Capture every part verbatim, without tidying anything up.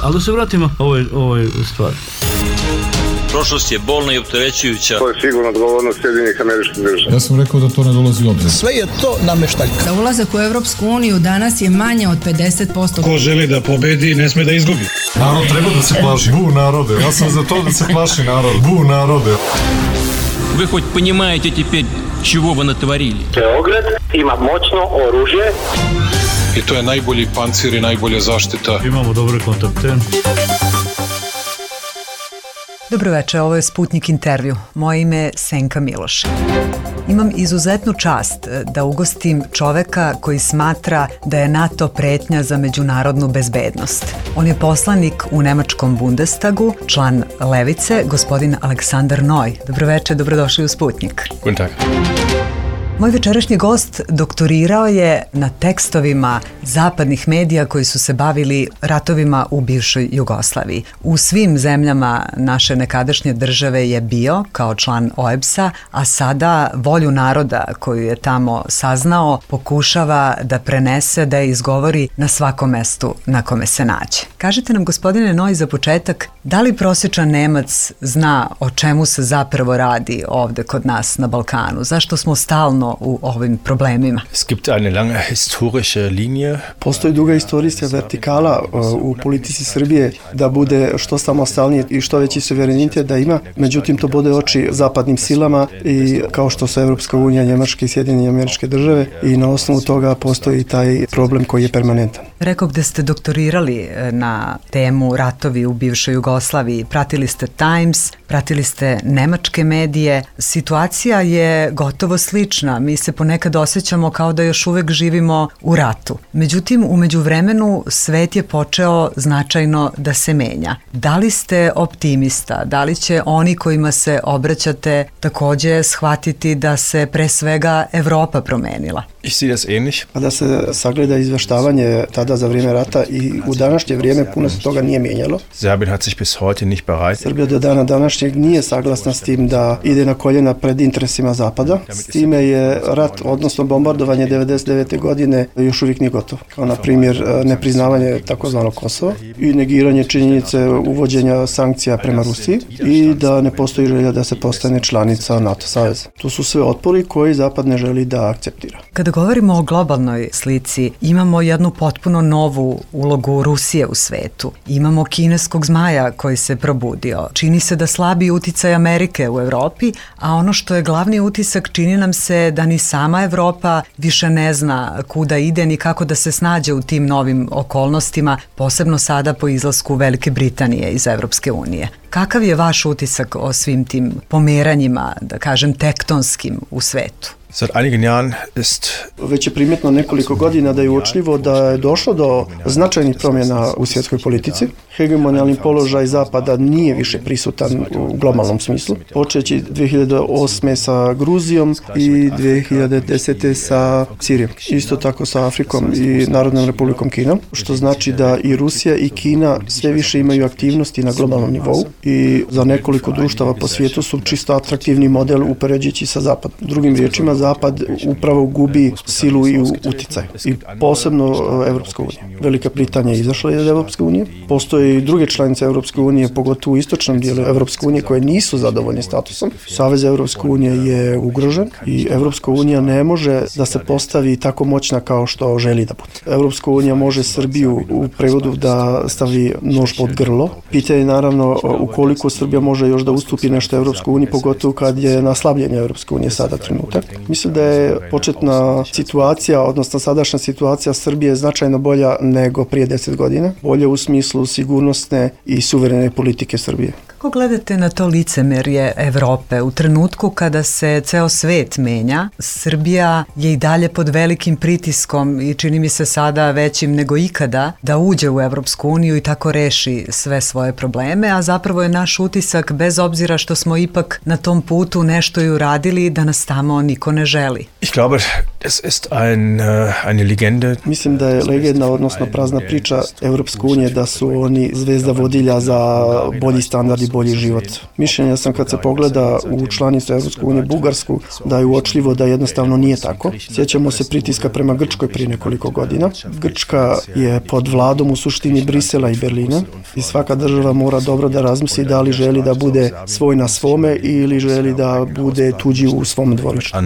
Ali da se vratimo ovoj, ovoj stvari. Prošlost je bolna i opterećujuća. To je sigurno odgovornost Sjedinjenih Američkih Država. Ja sam rekao da to ne dolazi u obzir. Sve je to nameštaljka. Za ulazak u Evropsku uniju danas je manje od pedeset posto. Ko želi da pobedi, ne sme da izgubi. Narod treba da se plaši. Bu narode. Ja sam za to da se plaši narod. Bu narode. Вы хоть понимаете теперь, чего вы натворили? Beograd ima moćno oružje. I to je najbolji pancir i najbolja zaštita. Imamo dobre kontakte. Dobroveče, ovo je Sputnik intervju. Moje ime je Senka Miloš. Imam izuzetnu čast da ugostim čoveka koji smatra da je NATO pretnja za međunarodnu bezbednost. On je poslanik u nemačkom Bundestagu, član Levice, gospodin Aleksandar Noj. Dobroveče, dobrodošli u Sputnik. Guten Tag. Moj večerašnji gost doktorirao je na tekstovima zapadnih medija koji su se bavili ratovima u bivšoj Jugoslaviji. U svim zemljama naše nekadašnje države je bio kao član O E B S-a, a sada volju naroda koju je tamo saznao pokušava da prenese, da je izgovori na svakom mestu na kome se nađe. Kažite nam, gospodine Noj, za početak, da li prosječan Nemac zna o čemu se zapravo radi ovde kod nas na Balkanu? Zašto smo stalno u ovim problemima? Es gibt eine lange historische Linie. Postoji duga istorijska vertikala u politici Srbije da bude što samostalnije i što veći suverenitet da ima. Međutim, to bode oči zapadnim silama i kao što su Evropska unija, Njemačka i Sjedinjene Američke Države, i na osnovu toga postoji taj problem koji je permanentan. Rekao da ste doktorirali na temu ratovi u bivšoj Jugoslaviji. Pratili ste Times, pratili ste nemačke medije. Situacija je gotovo slična. Mi se ponekad osjećamo kao da još uvek živimo u ratu. Međutim, u međuvremenu svet je počeo značajno da se menja. Da li ste optimista? Da li će oni kojima se obraćate takođe shvatiti da se pre svega Evropa promenila? Ich sehe das ähnlich. Da se sagleda izveštavanje tada za vrijeme rata i u današnje vrijeme puno se toga nije mijenjalo. Serbien hat sich bis heute nicht bereit. Srbija do dana današnjeg nije saglasna s tim da ide na koljena pred interesima Zapada. S time je rat, odnosno bombardovanje devedeset devete godine još uvijek nije gotovo. Kao na primjer nepriznavanje takozvanog Kosova i negiranje činjenice uvođenja sankcija prema Rusiji i da ne postoji želja da se postane članica NATO saveza. To su sve otpori koji Zapad ne želi da akceptira. Kada govorimo o globalnoj slici, imamo jednu potpuno novu ulogu Rusije u svetu. Imamo kineskog zmaja koji se probudio. Čini se da slabi uticaj Amerike u Evropi, a ono što je glavni utisak, čini nam se da ni sama Evropa više ne zna kuda ide ni kako da se snađe u tim novim okolnostima, posebno sada po izlasku Velike Britanije iz Evropske unije. Kakav je vaš utisak o svim tim pomeranjima, da kažem, tektonskim u svetu? Seit einigen Jahren ist Već je primjetno nekoliko godina da je uočljivo da je došlo do značajnih promjena u svjetskoj politici. Hegemonijalni položaj Zapada nije više prisutan u globalnom smislu, počeći dvije hiljade osme sa Gruzijom i dvije hiljade desete sa Sirijom. Isto tako sa Afrikom i Narodnom Republikom Kinom, što znači da i Rusija i Kina sve više imaju aktivnosti na globalnom nivou i za nekoliko društava po svijetu su čisto atraktivni model upoređujući sa Zapadom. Drugim riječima, Zapad upravo gubi silu i uticaj. I posebno Evropska unija. Velika Britanija je izašla iz Evropske unije. Postoje i druge članice Evropske unije, pogotovo u istočnom dijelu Evropske unije, koje nisu zadovoljni statusom. Savez Evropske unije je ugrožen i Evropska unija ne može da se postavi tako moćna kao što želi da bude. Evropska unija može Srbiju u prevodu da stavi nož pod grlo. Pitanje je naravno ukoliko Srbija može još da ustupi nešto Evropskoj uniji, pogotovo kad je na slabljenje Evropske unije sada trenutak. Mislim da je početna situacija, odnosno sadašnja situacija Srbije značajno bolja nego prije deset godina. Bolja u smislu sigurnosne i suverene politike Srbije. Kako gledate na to licemerje Evrope? U trenutku kada se ceo svet menja, Srbija je i dalje pod velikim pritiskom i čini mi se sada većim nego ikada da uđe u Evropsku uniju i tako reši sve svoje probleme, a zapravo je naš utisak, bez obzira što smo ipak na tom putu nešto i uradili, da nas tamo niko ne želi. Ich glaube, Es ist ein, uh, eine Legende. Mislim da je legenda, odnosno prazna priča Evropske unije da su oni zvezda vodilja za bolji standard i bolji život. Mišljenja sam kad se pogleda u članicu Evropske unije Bugarsku da je uočljivo da jednostavno nije tako. Sjećamo se pritiska prema Grčkoj prije nekoliko godina. Grčka je pod vladom u suštini Brisela i Berlina i svaka država mora dobro da razmisli da li želi da bude svoj na svome ili želi da bude tuđi u svom dvorištu.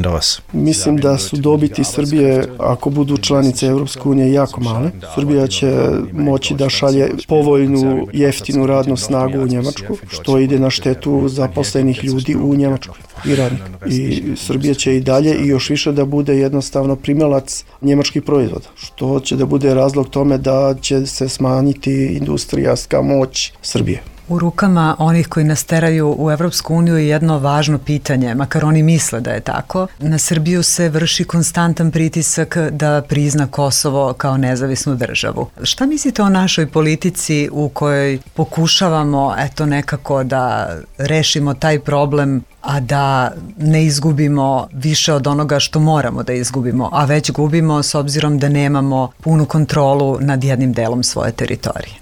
Mislim da su dobiti Srbije, ako budu članice Evropske unije, jako male. Srbija će moći da šalje povoljnu, jeftinu radnu snagu u Njemačku, što ide na štetu zaposlenih ljudi u Njemačkoj i radnika. I Srbija će i dalje i još više da bude jednostavno primalac njemačkih proizvoda, što će da bude razlog tome da će se smanjiti industrijska moć Srbije. U rukama onih koji nas teraju u Evropsku uniju je jedno važno pitanje, makar oni misle da je tako. Na Srbiju se vrši konstantan pritisak da prizna Kosovo kao nezavisnu državu. Šta mislite o našoj politici u kojoj pokušavamo eto nekako da rešimo taj problem, a da ne izgubimo više od onoga što moramo da izgubimo, a već gubimo s obzirom da nemamo punu kontrolu nad jednim delom svoje teritorije?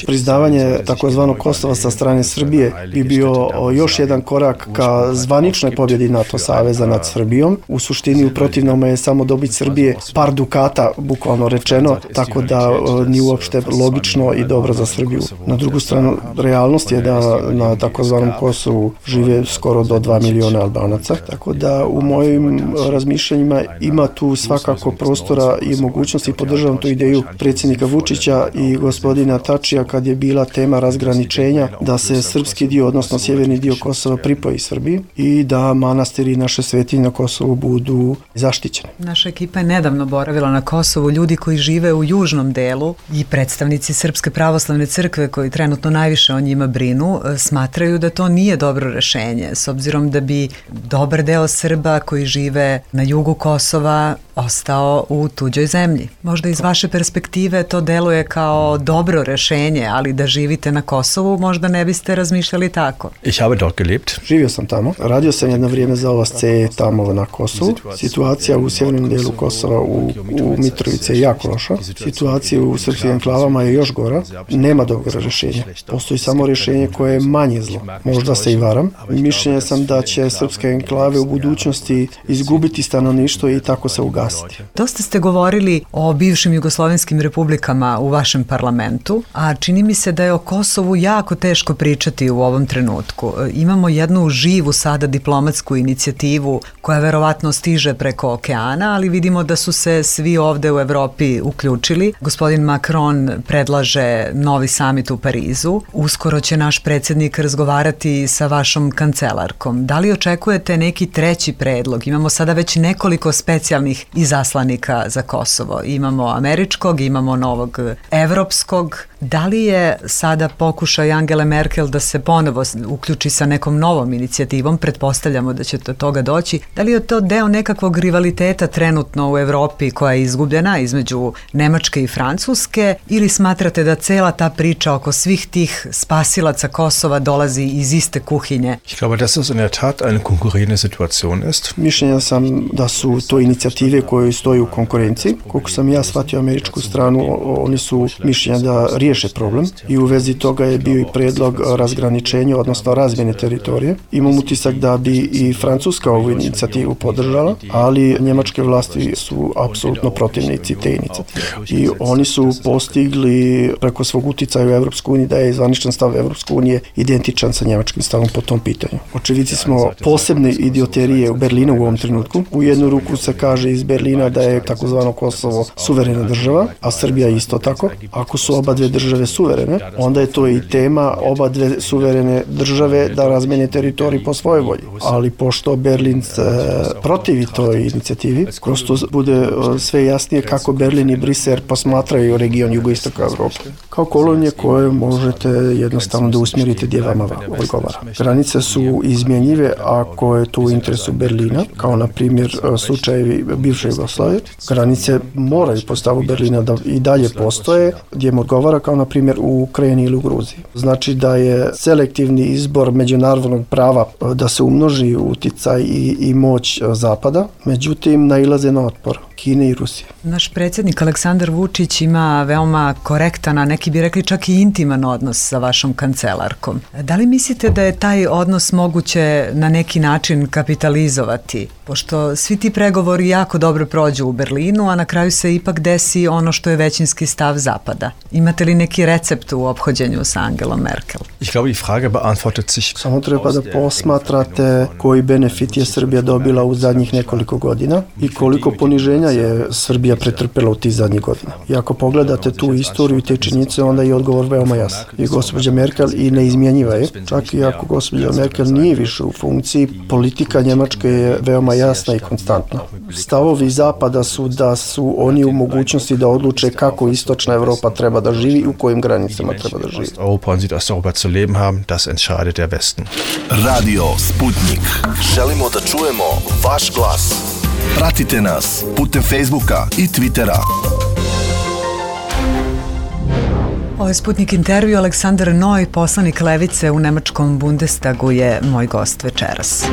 Priznavanje takozvanog Kosova sa strane Srbije bi bio još jedan korak ka zvaničnoj pobjedi NATO saveza nad Srbijom. U suštini u protivnom je samo dobit Srbije par dukata, bukvalno rečeno, tako da nije uopšte logično i dobro za Srbiju. Na drugu stranu, realnost je da na takozvanom Kosovu žive skoro do dva miliona Albanaca, tako da u mojim razmišljanjima ima tu svakako prostora i mogućnosti i podržavam tu ideju predsjednika Vučića i gospodina Tačija kad je bila tema razgraničenja da se srpski dio, odnosno sjeverni dio Kosova pripoji Srbiji i da manastiri i naše svetinje na Kosovu budu zaštićene. Naša ekipa je nedavno boravila na Kosovu, ljudi koji žive u južnom delu i predstavnici Srpske pravoslavne crkve koji trenutno najviše o njima brinu, smatraju da to nije dobro rešenje, s obzirom da bi dobar deo Srba koji žive na jugu Kosova ostao u tuđoj zemlji. Možda iz vaše perspektive to deluje kao dobro rešenje, ali da živite na Kosovu možda ne biste razmišljali tako. Ich habe dort gelebt. Živio sam tamo. Radio sam jedno vrijeme za O V C tamo na Kosovu. Situacija u sjevernom delu Kosova u, u Mitrovici je jako loša. Situacija u srpskim enklavama je još gora. Nema dobrog rješenja. Postoji samo rješenje koje je manje zlo. Možda se i varam. Mišljenja sam da će srpske enklave u budućnosti izgubiti stanovništvo i tako se ugasiti. Dosta ste govorili o bivšim jugoslovenskim republikama u vašem parlamentu, a čini mi se da je o Kosovu jako teško pričati u ovom trenutku. Imamo jednu živu sada diplomatsku inicijativu koja verovatno stiže preko okeana, ali vidimo da su se svi ovde u Evropi uključili. Gospodin Macron predlaže novi samit u Parizu. Uskoro će naš predsjednik razgovarati sa vašom kancelarkom. Da li očekujete neki treći predlog? Imamo sada već nekoliko specijalnih izaslanika za Kosovo. Imamo američkog, imamo novog evropskog. Da li je sada pokušaj Angele Merkel da se ponovo uključi sa nekom novom inicijativom, pretpostavljamo da će do toga doći, da li je to deo nekakvog rivaliteta trenutno u Evropi koja je izgubljena između Nemačke i Francuske, ili smatrate da cela ta priča oko svih tih spasilaca Kosova dolazi iz iste kuhinje? Ich glaube, dass es in der Tat eine konkurrierende Situation ist. Mišljenja sam da su to inicijative koje stoji u konkurenciji. Koliko sam ja shvatio američku stranu, oni su mišljenja da riješe problem i u vezi toga je bio i predlog razgraničenja, odnosno razmjene teritorije. Imam utisak da bi i Francuska ovu inicijativu podržala, ali njemačke vlasti su apsolutno protivnici te inicijative. I oni su postigli preko svog uticaja u Evropsku uniju da je zvaničan stav Evropske unije identičan sa njemačkim stavom po tom pitanju. Očevici smo posebne idioterije u Berlinu u ovom trenutku. U jednu ruku se kaže iz Berlina da je takozvano Kosovo suverena država, a Srbija isto tako. Ako su oba dve države suverene, onda je to i tema oba dve suverene države da razmene teritorij po svojoj volji. Ali pošto Berlin se protivi toj inicijativi, kroz to bude sve jasnije kako Berlin i Brisel posmatraju region jugoistoka Evrope. kao kolonije koje možete jednostavno da usmjerite gdje vama odgovara. Granice su izmjenjive ako je to u interesu Berlina, kao na primjer slučajevi bivše Jugoslavije. Granice moraju po stavu Berlina da i dalje postoje gdje im odgovara, kao na primjer u Ukrajini ili u Gruziji. Znači da je selektivni izbor međunarodnog prava da se umnoži uticaj i, i moć Zapada, međutim nailaze na otpor Kine i Rusije. Naš predsjednik Aleksandar Vučić ima veoma korektan, a neki bi rekli čak i intiman odnos sa vašom kancelarkom. Da li mislite da je taj odnos moguće na neki način kapitalizovati? Pošto svi ti pregovori jako dobro prođu u Berlinu, a na kraju se ipak desi ono što je većinski stav Zapada. Imate li neki recept u ophođenju sa Angelom Merkel? Ich glaube, die Frage beantwortet sich. Samo treba da posmatrate koji benefit je Srbija dobila u zadnjih nekoliko godina i koliko poniženja je Srbija pretrpela u tih zadnjih godina. I ako pogledate tu istoriju i te činjenice, onda je odgovor veoma jasan. I gospođa Merkel i neizmjenjiva je, čak i ako gospođa Merkel nije više u funkciji, politika Njemačke je veoma jasna i konstantna. Stavovi Zapada su da su oni u mogućnosti da odluče kako istočna Evropa treba da živi i u kojim granicama treba da živi. Europa und Südosteuropa zu leben haben, das entscheidet der Westen. Radio Sputnik. Želimo da čujemo vaš glas. Pratite nas putem Facebooka i Twittera. Ovo je Sputnik intervju. Aleksandar Noj, poslanik Levice u nemačkom Bundestagu, je moj gost večeras.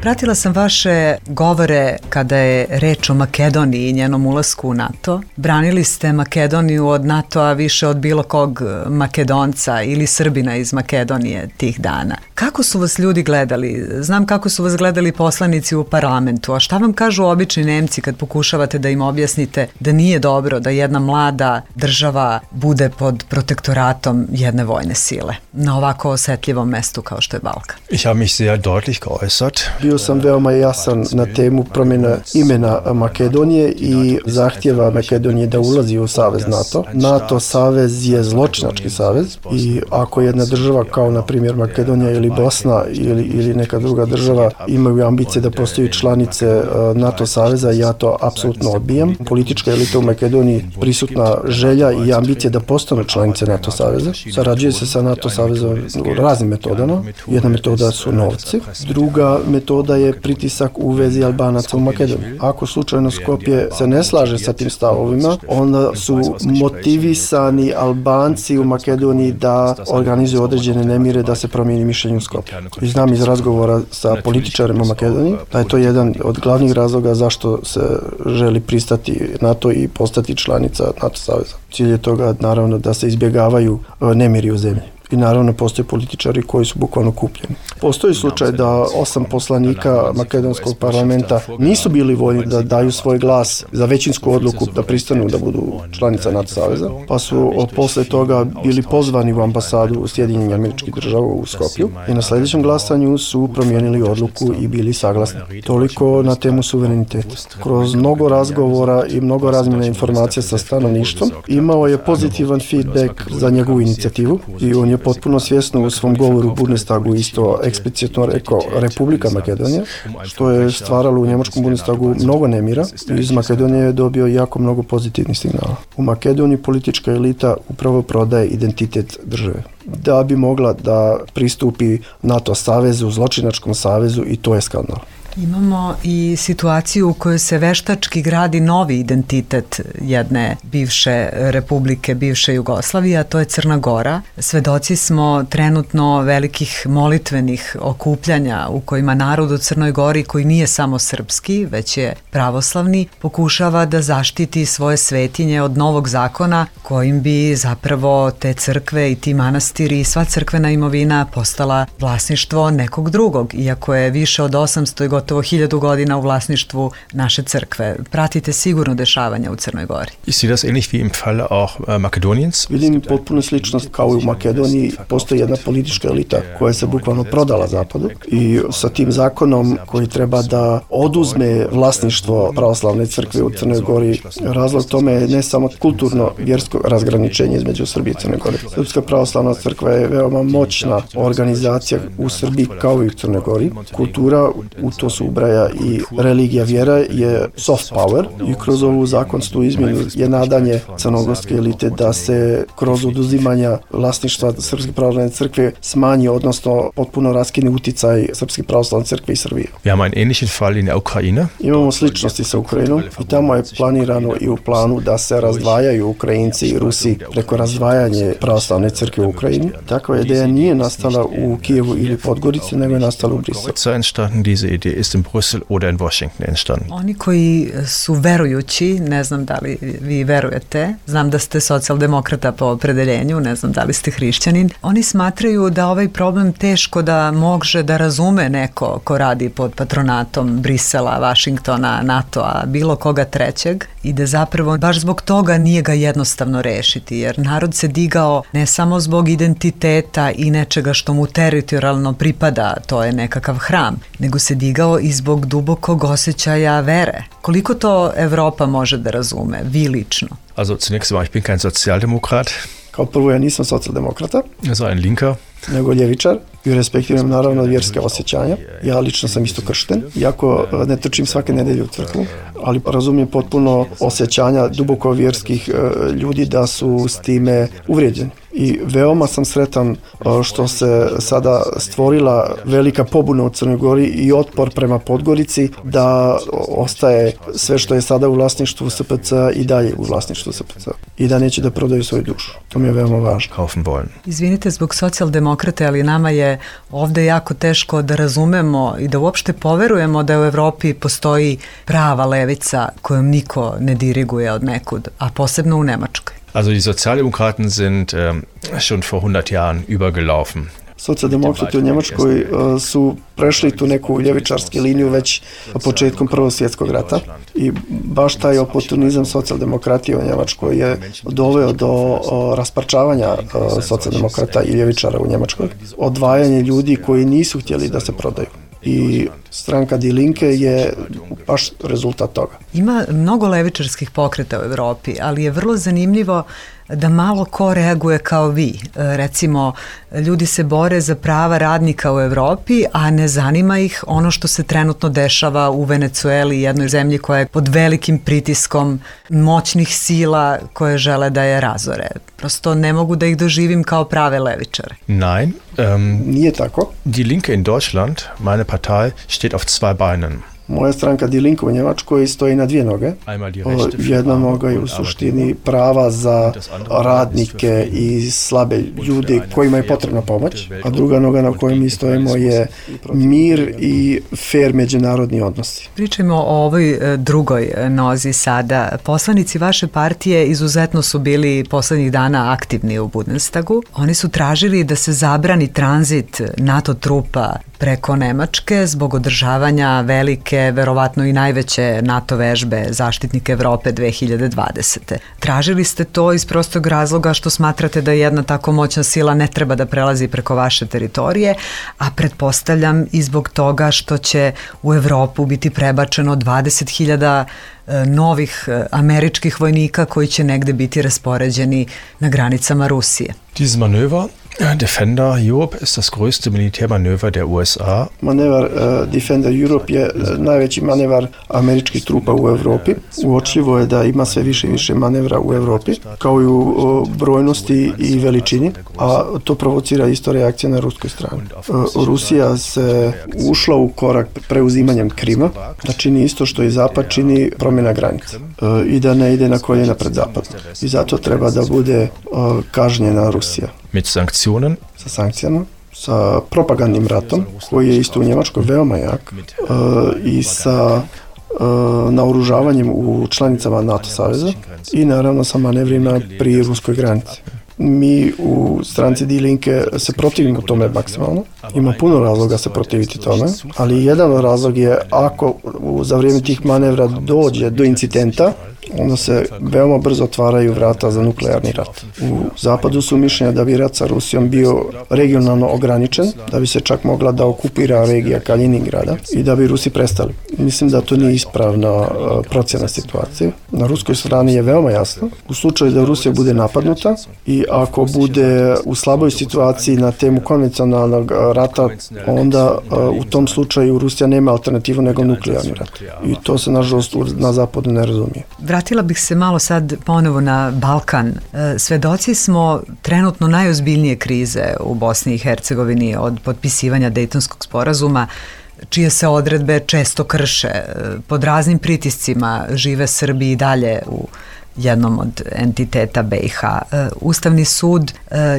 Pratila sam vaše govore kada je reč o Makedoniji i njenom ulasku u NATO. Branili ste Makedoniju od NATO-a više od bilo kog Makedonca ili Srbina iz Makedonije tih dana. Kako su vas ljudi gledali? Znam kako su vas gledali poslanici u parlamentu, a šta vam kažu obični Nemci kad pokušavate da im objasnite da nije dobro da jedna mlada država bude pod protektoratom jedne vojne sile na ovako osetljivom mestu kao što je Balkan? Ich habe mich sehr deutlich geäußert. Bio sam veoma jasan na temu promjena imena Makedonije i zahtjeva Makedonije da ulazi u savez NATO. NATO savez je zločinački savez i ako jedna država kao na primjer Makedonija ili Bosna ili, ili neka druga država imaju ambicije da postaju članice NATO saveza, ja to apsolutno odbijam. Politička elita u Makedoniji prisutna želja i ambicije da postanu članice NATO saveza. Sarađuje se sa NATO savezom raznim metodama. Jedna metoda su novci, druga metoda da je pritisak u vezi Albanaca u Makedoniji. Ako slučajno Skopje se ne slaže sa tim stavovima, onda su motivisani Albanci u Makedoniji da organizuju određene nemire da se promijeni mišljenje u Skopju. I znam iz razgovora sa političarima Makedonije da je to jedan od glavnih razloga zašto se želi pristati NATO i postati članica NATO saveza. Cilj je toga naravno da se izbjegavaju nemiri u zemlji. I naravno postoje političari koji su bukvalno kupljeni. Postoji slučaj da osam poslanika makedonskog parlamenta nisu bili voljni da daju svoj glas za većinsku odluku da pristanu da budu članica NATO saveza, pa su posle toga bili pozvani u ambasadu Sjedinjenih Američkih Država u Skopju i na sljedećem glasanju su promijenili odluku i bili saglasni. Toliko na temu suvereniteta. Kroz mnogo razgovora i mnogo razmjena informacija sa stanovništvom imao je pozitivan feedback za njegovu inicijativu i on je potpuno svjesno u svom govoru u Bundestagu isto eksplicitno rekao Republika Makedonija, što je stvaralo u njemačkom Bundestagu mnogo nemira i iz Makedonije je dobio jako mnogo pozitivnih signala. U Makedoniji politička elita upravo prodaje identitet države da bi mogla da pristupi NATO savezu, zločinačkom savezu, i to je skandal. Imamo i situaciju u kojoj se veštački gradi novi identitet jedne bivše republike, bivše Jugoslavije, a to je Crna Gora. Svedoci smo trenutno velikih molitvenih okupljanja u kojima narod u Crnoj Gori, koji nije samo srpski, već je pravoslavni, pokušava da zaštiti svoje svetinje od novog zakona kojim bi zapravo te crkve i ti manastiri i sva crkvena imovina postala vlasništvo nekog drugog, iako je više od osamsto i gotovo hiljadu godina u vlasništvu naše crkve. Pratite sigurno dešavanja u Crnoj Gori. Ich sehe das ähnlich wie im Falle auch Makedoniens. Vidim potpuno sličnost kao i u Makedoniji. Postoji jedna politička elita koja se bukvalno prodala Zapadu i sa tim zakonom koji treba da oduzme vlasništvo pravoslavne crkve u Crnoj Gori. Razlog tome je ne samo kulturno vjersko razgraničenje između Srbije i Crne Gore. Srpska pravoslavna crkva je veoma moćna organizacija u Srbiji kao i u Crnoj Gori. Kultura u to to se ubraja i religija, vjera je soft power i kroz ovu zakonsku izmjenu je nadanje crnogorske elite da se kroz oduzimanja vlasništva Srpske pravoslavne crkve smanji, odnosno potpuno raskine uticaj Srpske pravoslavne crkve i Srbije. Wir haben einen ähnlichen Fall in der Ukraine. Imamo sličnosti sa Ukrajinom i tamo je planirano i u planu da se razdvajaju Ukrajinci i Rusi preko razdvajanje pravoslavne crkve u Ukrajini. Takva ideja nije nastala u Kijevu ili Podgorici, nego je nastala u Briselu. Entstanden, diese Idee ist in Brüssel oder in Washington entstanden. Oni koji su verujući, ne znam da li vi verujete, znam da ste socijaldemokrata po opredeljenju, ne znam da li ste hrišćanin, oni smatraju da ovaj problem teško da može da razume neko ko radi pod patronatom Brisela, Vašingtona, NATO-a, bilo koga trećeg i da zapravo baš zbog toga nije ga jednostavno rešiti, jer narod se digao ne samo zbog identiteta i nečega što mu teritorijalno pripada, to je nekakav hram, nego se digao i zbog dubokog osjećaja vere. Koliko to Evropa može da razume, vi lično? Also zunächst mal, ich bin kein Sozialdemokrat. Kao prvo, ja nisam socijaldemokrata, also ein Linker, nego ljevičar i respektiram naravno vjerske osjećanja. Ja lično sam isto kršten, iako ne trčim svake nedelje u crkvu, ali razumijem potpuno osjećanja duboko vjerskih ljudi da su s time uvrijeđeni. I veoma sam sretan što se sada stvorila velika pobuna u Crnoj Gori i otpor prema Podgorici da ostaje sve što je sada u vlasništvu S P C i dalje u vlasništvu S P C i da neće da prodaju svoju dušu. To mi je veoma važno. Kaufen wollen. Izvinite zbog socijaldemokrate, ali nama je ovde jako teško da razumemo i da uopšte poverujemo da u Evropi postoji prava levica kojom niko ne diriguje od nekud, a posebno u Nemačkoj. Also die Sozialdemokraten sind ähm, schon vor hundert Jahren übergelaufen. Socijaldemokrati u Njemačkoj uh, su prešli tu neku ljevičarsku liniju već početkom Prvog svjetskog rata i baš taj oportunizam socijaldemokratije u Njemačkoj je doveo do uh, rasparčavanja uh, socijaldemokrata i ljevičara u Njemačkoj, odvajanje ljudi koji nisu htjeli da se prodaju. I stranka Die Linke je baš rezultat toga. Ima mnogo levičarskih pokreta u Evropi, ali je vrlo zanimljivo da malo ko reaguje kao vi. Recimo, ljudi se bore za prava radnika u Evropi, a ne zanima ih ono što se trenutno dešava u Venecueli, jednoj zemlji koja je pod velikim pritiskom moćnih sila koje žele da je razore. Prosto ne mogu da ih doživim kao prave levičare. Nein, ähm, nije tako. Die Linke in Deutschland, meine Partei, steht auf zwei Beinen. Moja stranka Die Linke u Njemačkoj stoji na dvije noge. Jedna noga je u suštini prava za radnike i slabe ljude kojima je potrebna pomoć, a druga noga na kojoj mi stojimo je mir i fair međunarodni odnosi. Pričajmo o ovoj drugoj nozi sada. Poslanici vaše partije izuzetno su bili poslednjih dana aktivni u Bundestagu. Oni su tražili da se zabrani tranzit NATO trupa preko Nemačke zbog održavanja velike, verovatno i najveće NATO vežbe Zaštitnik Evrope dve hiljade dvadesete. Tražili ste to iz prostog razloga što smatrate da jedna tako moćna sila ne treba da prelazi preko vaše teritorije, a pretpostavljam i zbog toga što će u Evropu biti prebačeno dvadeset hiljada novih američkih vojnika koji će negde biti raspoređeni na granicama Rusije. Dieses Manöver Defender Europe ist das größte Militärmanöver der U S A. Manevar uh, Defender Europe je uh, najveći manevar američkih trupa u Evropi. Uočljivo je da ima sve više i više manevra u Evropi, kao i u uh, brojnosti i veličini, a to provocira isto reakcija na ruskoj strani. Uh, Rusija se ušla u korak preuzimanjem Krima, da čini isto što i Zapad čini, promjena granica uh, i da ne ide na koljena pred Zapadom. I zato treba da bude uh, kažnjena Rusija. Mit Sanktionen? Sa sankcijama, sa propagandnim ratom, koji je isto u Njemačkoj veoma jak, uh, i sa uh, naoružavanjem u članicama NATO saveza i naravno sa manevrima pri ruskoj granici. Mi u stranci Die Linke se protivimo tome maksimalno. Ima puno razloga se protiviti tome, ali jedan od razlog je ako za vrijeme tih manevra dođe do incidenta, onda se veoma brzo otvaraju vrata za nuklearni rat. U Zapadu su mišljenja da bi rat sa Rusijom bio regionalno ograničen, da bi se čak mogla da okupira regija Kaliningrada i da bi Rusi prestali. Mislim da to nije ispravna procjena situacije. Na ruskoj strani je veoma jasno. U slučaju da Rusija bude napadnuta i ako bude u slaboj situaciji na temu konvencionalnog rata, onda u tom slučaju Rusija nema alternativu nego nuklearni rat. I to se nažalost na zapadu ne razumije. Vratila bih se malo sad ponovo na Balkan. Svedoci smo trenutno najozbiljnije krize u Bosni i Hercegovini od potpisivanja Dejtonskog sporazuma, čije se odredbe često krše. Pod raznim pritiscima žive Srbi i dalje u jednom od entiteta B i H. Ustavni sud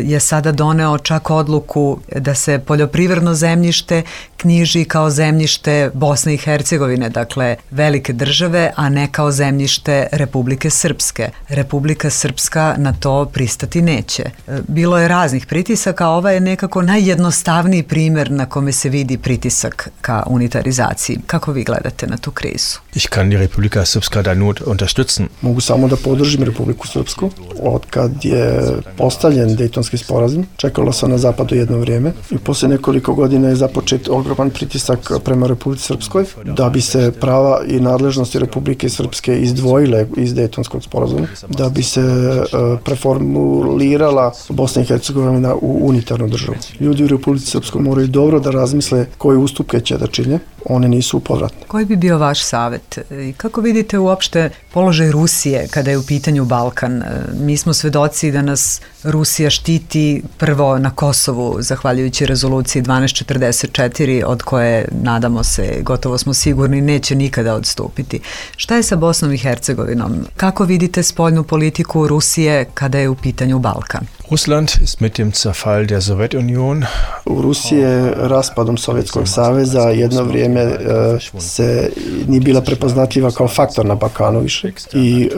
je sada doneo čak odluku da se poljoprivredno zemljište knjiži kao zemljište Bosne i Hercegovine, dakle velike države, a ne kao zemljište Republike Srpske. Republika Srpska na to pristati neće. Bilo je raznih pritisaka, a ova je nekako najjednostavniji primjer na kome se vidi pritisak ka unitarizaciji. Kako vi gledate na tu krizu? Ich kann die Republika Srpska da nur unterstützen. Mogu samo da podržim Republiku Srpsku. Od kad je postavljen Dejtonski sporazum, čekalo se na zapadu jedno vrijeme i posle nekoliko godina je započet ogroman pritisak prema Republici Srpskoj da bi se prava i nadležnosti Republike Srpske izdvojile iz Dejtonskog sporazuma, da bi se uh, preformulirala Bosna i Hercegovina u unitarnu državu. Ljudi u Republici Srpskoj moraju dobro da razmisle koje ustupke će da čine, one nisu povratne. Koji bi bio vaš savjet? I kako vidite uopšte položaj Rusije kada je u pitanju Balkan? Mi smo svedoci da nas Rusija štiti prvo na Kosovu, zahvaljujući rezoluciji dvanaest četrdeset četiri, od koje, nadamo se, gotovo smo sigurni, neće nikada odstupiti. Šta je sa Bosnom i Hercegovinom? Kako vidite spoljnu politiku Rusije kada je u pitanju Balkan? Russland ist mit dem Zerfall der Sowjetunion. U Rusiji je raspadom Sovjetskog saveza jedno vrijeme e, se nije bila prepoznatljiva kao faktor na Balkanu više i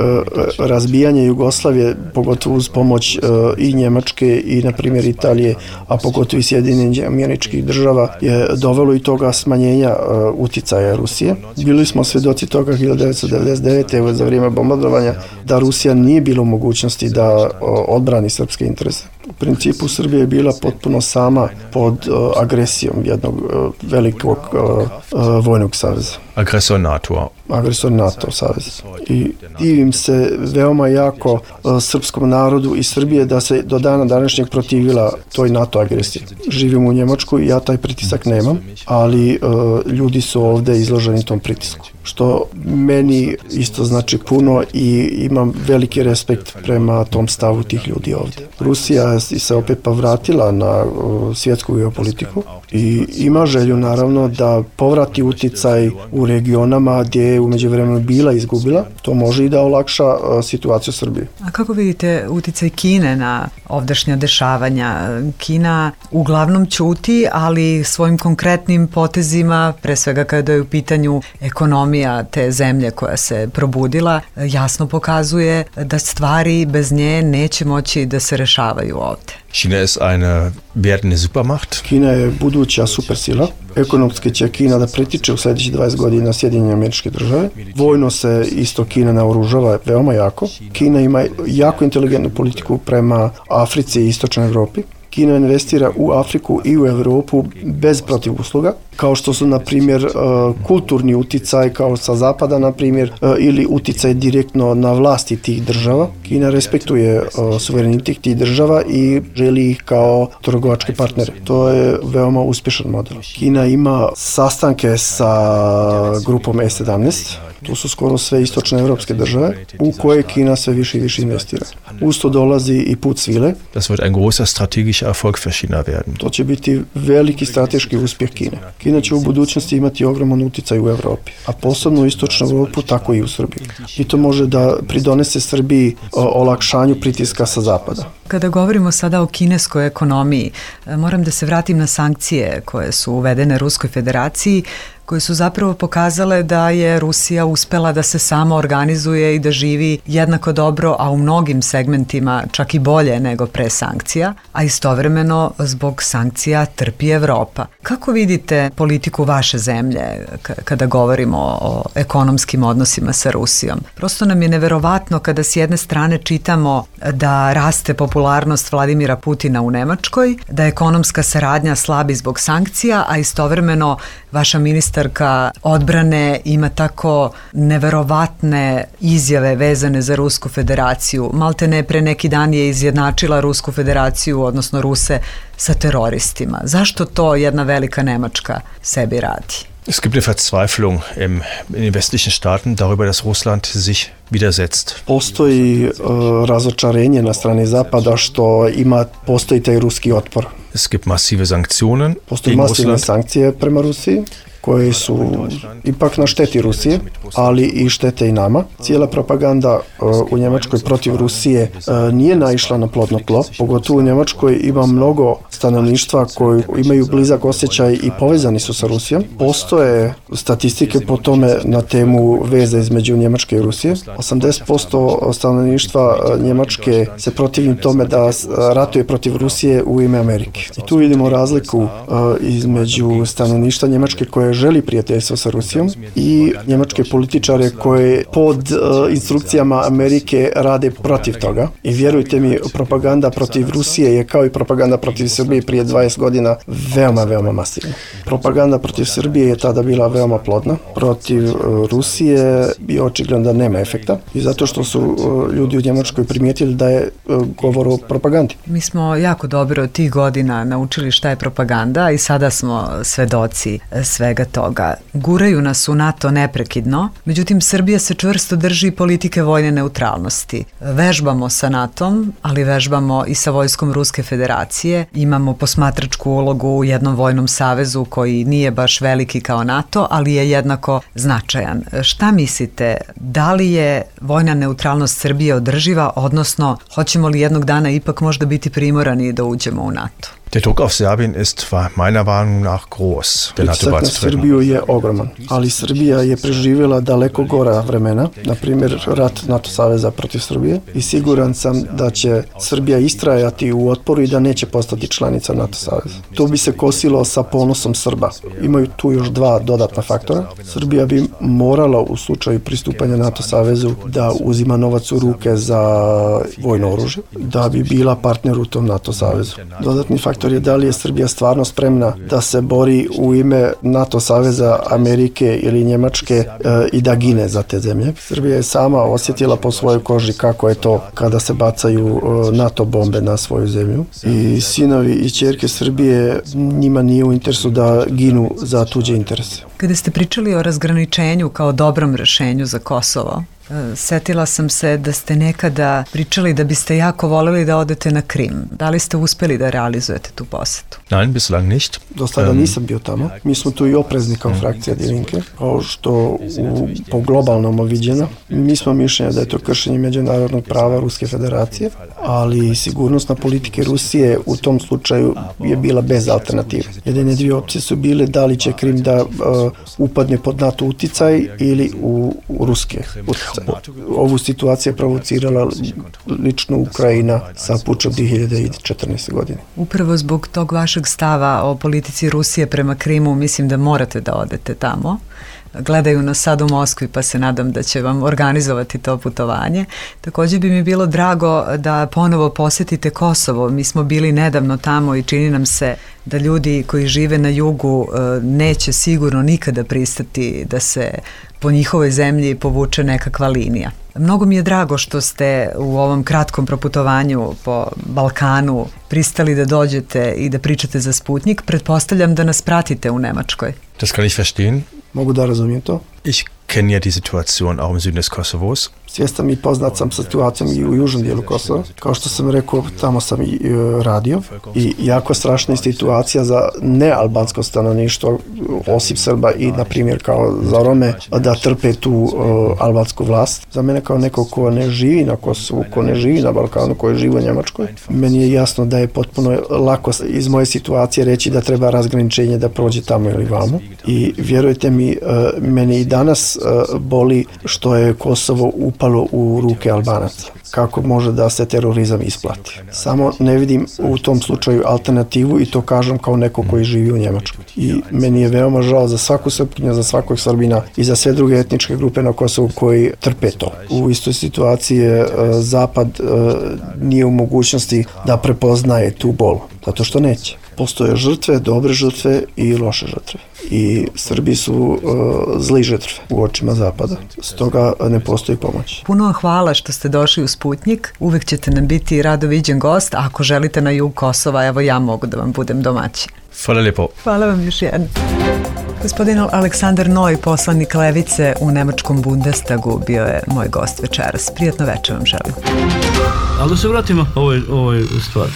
e, razbijanje Jugoslavije, pogotovo uz pomoć e, i Njemačke i na primjer Italije, a pogotovo i Sjedinjenih Američkih Država, je dovelo i toga smanjenja e, uticaja Rusije. Bili smo svedoci toga hiljadu devetsto devedeset devete. za vrijeme bombardovanja da Rusija nije bila u mogućnosti da o, odbrani srpske interese. U principu Srbija je bila potpuno sama pod uh, agresijom jednog uh, velikog uh, uh, vojnog saveza. Agresor NATO. Agresor NATO saveza. I divim se veoma jako uh, srpskom narodu i Srbije da se do dana današnjeg protivila toj NATO agresiji. Živim u Njemačkoj i ja taj pritisak nemam, ali uh, ljudi su ovde izloženi tom pritisku, što meni isto znači puno i imam veliki respekt prema tom stavu tih ljudi ovde. Rusija se opet povratila na uh, svjetsku geopolitiku i ima želju naravno da povrati uticaj u regionama gdje je umeđu vremenu bila izgubila. To može i da olakša uh, situaciju Srbije. A kako vidite uticaj Kine na ovdašnja dešavanja? Kina uglavnom ćuti, ali svojim konkretnim potezima, pre svega kada je u pitanju ekonomija te zemlje koja se probudila, jasno pokazuje da stvari bez nje neće moći da se rešavaju ovde. Kina ist eine werdende Supermacht. Kina je buduća supersila. Ekonomski će Kina da pritiče u sljedećih dvadeset godina Sjedinjene Američke Države. Vojno se isto Kina naoružava veoma jako. Kina ima jako inteligentnu politiku prema Africi i Istočnoj Evropi. Kina investira u Afriku i u Evropu bez protivusluga, kao što su, na primjer, kulturni uticaj, kao sa zapada, na primjer, ili uticaj direktno na vlasti tih država. Kina respektuje suverenitet tih država i želi ih kao trgovačke partnere. To je veoma uspješan model. Kina ima sastanke sa grupom E sedamnaest, to su skoro sve istočne evropske države, u koje Kina sve više i više investira. Usto dolazi i put svile. Das wird ein großer strategischer Erfolg für China werden. To će biti veliki strateški uspjeh Kine. Kina će u budućnosti imati ogroman uticaj u Evropi, a posebno u istočnu Evropu, tako i u Srbiji. I to može da pridonese Srbiji olakšanju pritiska sa zapada. Kada govorimo sada o kineskoj ekonomiji, moram da se vratim na sankcije koje su uvedene Ruskoj federaciji, koje su zapravo pokazale da je Rusija uspela da se sama organizuje i da živi jednako dobro, a u mnogim segmentima čak i bolje nego pre sankcija, a istovremeno zbog sankcija trpi Evropa. Kako vidite politiku vaše zemlje kada govorimo o ekonomskim odnosima sa Rusijom? Prosto nam je neverovatno kada s jedne strane čitamo da raste popularnost Vladimira Putina u Nemačkoj, da ekonomska saradnja slabi zbog sankcija, a istovremeno vaša ministarka odbrane ima tako neverovatne izjave vezane za Rusku federaciju. Malte ne pre neki dan je izjednačila Rusku federaciju, odnosno Ruse, sa teroristima. Zašto to jedna velika Nemačka sebi radi? Es gibt eine Verzweiflung im, in den westlichen Staaten darüber, dass Russland sich widersetzt. Postoji uh, razočarenje na strani Zapada što ima, postoji taj ruski otpor. Es gibt massive Sanktionen Postoji gegen masivne Russland. sankcije prema Rusiji, koje su ipak na šteti Rusije, ali i štete i nama. Cijela propaganda uh, u Njemačkoj protiv Rusije uh, nije naišla na plodno tlo. Pogotovo u Njemačkoj ima mnogo stanovništva koji imaju blizak osjećaj i povezani su sa Rusijom. Postoje statistike po tome na temu veze između Njemačke i Rusije. osamdeset posto stanovništva Njemačke se protivi tome da ratuje protiv Rusije u ime Amerike. I tu vidimo razliku uh, između stanovništva Njemačke koje želi prijateljstvo sa Rusijom i njemačke političare koje pod uh, instrukcijama Amerike rade protiv toga. I vjerujte mi, propaganda protiv Rusije je kao i propaganda protiv Srbije prije dvadeset godina veoma, veoma masivna. Propaganda protiv Srbije je tada bila veoma plodna. Protiv uh, Rusije je očigledno da nema efekta i zato što su uh, ljudi u Njemačkoj primijetili da je uh, govor o propagandi. Mi smo jako dobro od tih godina naučili šta je propaganda i sada smo svedoci svega toga. Guraju nas u NATO neprekidno, međutim Srbija se čvrsto drži politike vojne neutralnosti. Vežbamo sa NATOm, ali vežbamo i sa vojskom Ruske federacije. Imamo posmatračku ulogu u jednom vojnom savezu koji nije baš veliki kao NATO, ali je jednako značajan. Šta mislite, da li je vojna neutralnost Srbije održiva, odnosno hoćemo li jednog dana ipak možda biti primorani da uđemo u NATO? Der Druck auf Serbien ist meiner Meinung nach groß. Pritisak na Srbiju je ogroman, ali Srbija je preživjela daleko gora vremena, na primjer rat NATO saveza protiv Srbije i siguran sam da će Srbija istrajati u otporu i da neće postati članica NATO saveza. To bi se kosilo sa ponosom Srba. Imaju tu još dva dodatna faktora. Srbija bi morala u slučaju pristupanja NATO savezu da uzima novac u ruke za vojno oružje, da bi bila partner u tom NATO savezu. Dodatni faktor je da li je Srbija stvarno spremna da se bori u ime NATO saveza, Amerike ili Njemačke e, i da gine za te zemlje. Srbija je sama osjetila po svojoj koži kako je to kada se bacaju e, NATO bombe na svoju zemlju. I sinovi i ćerke Srbije, njima nije u interesu da ginu za tuđe interese. Kada ste pričali o razgraničenju kao dobrom rešenju za Kosovo, setila sam se da ste nekada pričali da biste jako voljeli da odete na Krim. Da li ste uspeli da realizujete tu posetu? Nein, bislang nicht. Do sada nisam bio tamo. Mi smo tu i oprezni kao frakcija Die Linke, kao što u, po globalnom viđeno. Mi smo mišljenja da je to kršenje međunarodnog prava Ruske federacije, ali sigurnosna politika Rusije u tom slučaju je bila bez alternative. Jedine dvije opcije su bile da li će Krim da uh, upadne pod NATO uticaj ili u, u ruske uticaj. Ovu situaciju je provocirala lično Ukrajina sa pučom dvije hiljade četrnaeste. godine. Upravo zbog tog vašeg stava o politici Rusije prema Krimu mislim da morate da odete tamo. Gledaju nas sad u Moskvi pa se nadam da će vam organizovati to putovanje. Također bi mi bilo drago da ponovo posjetite Kosovo. Mi smo bili nedavno tamo i čini nam se da ljudi koji žive na jugu neće sigurno nikada pristati da se po njihovoj zemlji povuče nekakva linija. Mnogo mi je drago što ste u ovom kratkom proputovanju po Balkanu pristali da dođete i da pričate za Sputnik. Pretpostavljam da nas pratite u Nemačkoj. Das kann ich verstehen. Mogu da razumijem to. Ich kennen ja die Situation auch im Süden des Kosovos. Svjestan i poznat sam sa situacijom i u južnom dijelu Kosova. Kao što sam rekao, tamo sam i e, radio i jako strašna je situacija za nealbansko stanovništvo, osim Srba i, na primjer, kao za Rome, da trpe tu e, albansku vlast. Za mene kao neko ko ne živi na Kosovu, ko ne živi na Balkanu, ko je živi u Njemačkoj, meni je jasno da je potpuno lako iz moje situacije reći da treba razgraničenje da prođe tamo ili vamo. I vjerujte mi, e, meni i danas e, boli što je Kosovo upalo u ruke Albanaca. Kako može da se terorizam isplati? Samo ne vidim u tom slučaju alternativu i to kažem kao neko koji živi u Njemačkoj. I meni je veoma žao za svaku Srpkinju, za svakog Srbina i za sve druge etničke grupe na Kosovu koji trpe to. U istoj situaciji je Zapad nije u mogućnosti da prepoznaje tu bol, zato što neće. Postoje žrtve, dobre žrtve i loše žrtve. I Srbi su uh, zli žrtve u očima Zapada. Stoga ne postoji pomoć. Puno vam hvala što ste došli u Sputnjik. Uvek ćete nam biti rado viđen gost. Ako želite na jug Kosova, evo ja mogu da vam budem domaćin. Hvala lijepo. Hvala vam još jedno. Gospodin Aleksandar Noj, poslanik Levice u Nemačkom Bundestagu, bio je moj gost večeras. Prijatno večer vam želim. Ali da se vratimo ovoj, ovoj stvari.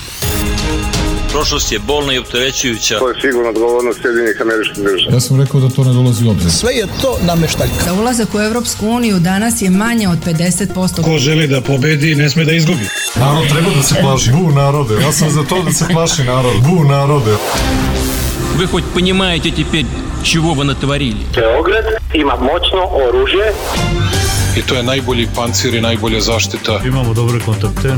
Prošlost je bolna i opterećujuća. To je sigurno odgovornost Sjedinjenih Američkih Država. Ja sam rekao da to ne dolazi u obzir. Sve je to nameštaljka. Za ulazak u Evropsku uniju danas je manje od pedeset posto. Ko želi da pobedi, ne sme da izgubi. Narod treba da se plaši. Bu narode. Ja sam za to da se plaši narod. Bu narode. Вы хоть понимаете теперь, чего вы натворили? Beograd ima moćno oružje. I to je najbolji pancir i najbolja zaštita. Imamo dobre kontakte.